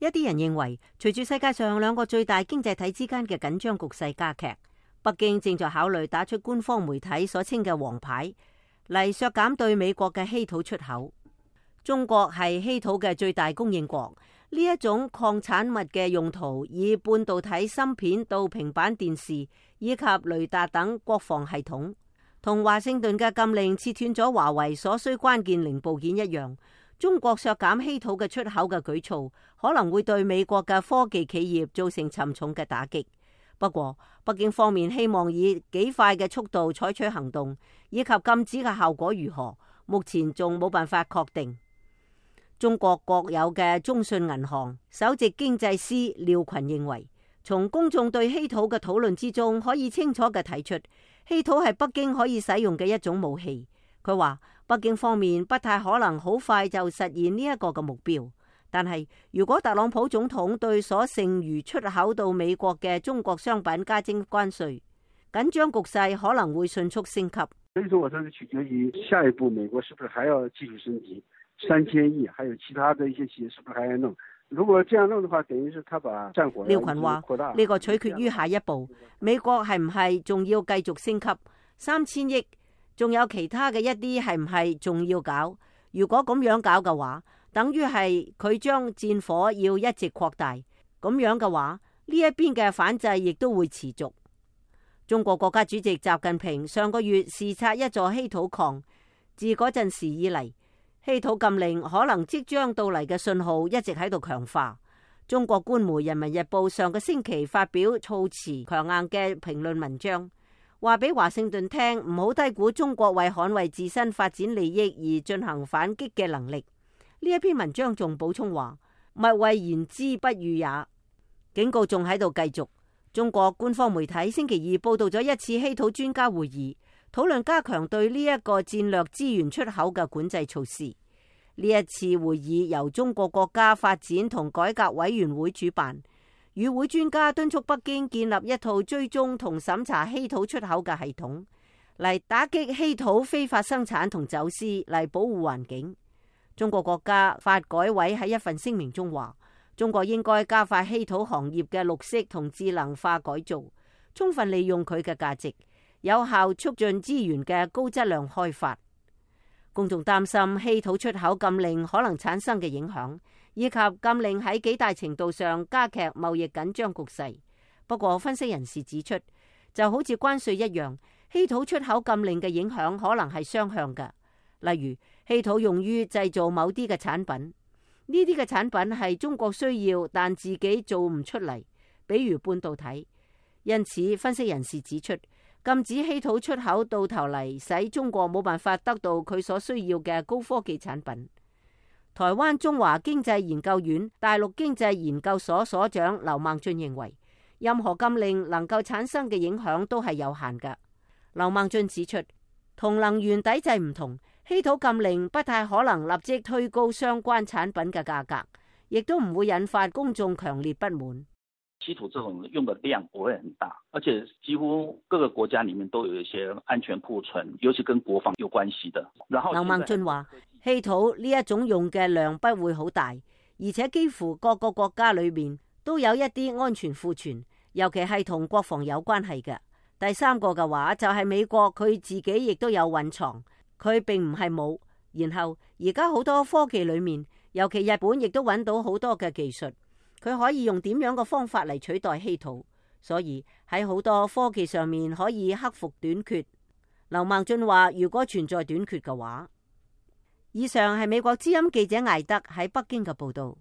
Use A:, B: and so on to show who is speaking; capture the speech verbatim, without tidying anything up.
A: 一啲人認為，隨住世界上兩個最大經濟體之間嘅緊張局勢加劇，北京正在考慮打出官方媒體所稱嘅黃牌，嚟削減對美國嘅稀土出口。中國係稀土嘅最大供應國，呢一種礦產物嘅用途以半導體芯片到平板電視以及雷達等國防系統，同華盛頓嘅禁令切斷咗華為所需關鍵零部件一樣。中國削減稀土嘅出口嘅舉措，可能會對美國嘅科技企業造成沉重嘅打擊。不過，北京方面希望以幾快嘅速度採取行動，以及禁止嘅效果如何，目前仲冇辦法確定。中國國有嘅中信銀行首席經濟師廖群認為，從公眾對稀土嘅討論之中，可以清楚嘅睇出，稀土係北京可以使用嘅一種武器。佢話北京方面不太可能好快就實現呢一個嘅目標，但係如果特朗普總統對所剩餘出口到美國嘅中國商品加徵關稅，緊張局勢可能會迅速升級。
B: 所以說，我說是取決於下一步美國是不是還要繼續升級三千億，還有其他的一些企業是不是還要弄？如果這樣弄的話，等於是他把戰火。廖群話
A: 呢個取決於下一步，美國係唔係仲要繼續升級三千億？仲有其他嘅一啲係唔係仲要搞？如果咁樣搞嘅話，等於係佢將戰火要一直擴大。咁樣嘅話，呢一邊嘅反制亦都會持續。中國國家主席習近平上個月視察一座稀土礦，自嗰陣時以嚟，稀土禁令可能即將到嚟嘅信號一直喺度強化。中國官媒《人民日報》上個星期發表措辭強硬嘅評論文章，話俾華盛頓聽，唔好低估中國為捍衛自身發展利益而進行反擊嘅能力。呢一篇文章仲補充話，勿謂言之不預也，警告仲喺度繼續。中國官方媒體星期二報道咗一次稀土專家會議，討論加強對呢一個戰略資源出口嘅管制措施。呢一次會議由中國國家發展同改革委員會主辦。與會專家敦促北京建立一套追蹤同審查稀土出口嘅系統，嚟打擊稀土非法生產同走私，嚟保護環境。中國國家發改委喺一份聲明中話，中國應該加快稀土行業嘅綠色同智能化改造，充分利用佢嘅價值，有效促進資源嘅高質量開發。公眾擔心稀土出口禁令可能產生嘅影響，以及禁令喺幾大程度上加劇貿易緊張局勢。不過，分析人士指出，就好似關稅一樣，稀土出口禁令嘅影響可能係雙向嘅。例如，稀土用於製造某啲嘅產品，呢啲嘅產品係中國需要，但自己做唔出嚟，比如半導體。因此，分析人士指出，禁止稀土出口到頭嚟，使中國冇辦法得到佢所需要嘅高科技產品。台灣中華經濟研究院大陸經濟研究所所長劉孟俊認為，任何禁令能夠產生嘅影響都係有限嘅。劉孟俊指出，同能源抵制唔同，稀土禁令不太可能立即推高相關產品嘅價格，亦都唔會引發公眾強烈不滿。
C: 稀土這種用的量不會很大，而且幾乎各個國家裏面都有一些安全庫存，尤其跟國防有關係的。然後劉
A: 孟俊話，稀土呢一種用嘅量不會好大，而且幾乎各個國家裏面都有一啲安全庫存，尤其係同國防有關係嘅。第三個嘅話就係美國，佢自己亦都有蘊藏，佢並唔係冇。然後而家好多科技裏面，尤其日本亦都揾到好多嘅技術。佢可以用點樣嘅方法嚟取代稀土，所以喺好多科技上面可以克服短缺。劉孟俊話，如果存在短缺嘅話，以上係美國之音記者艾德喺北京嘅報道。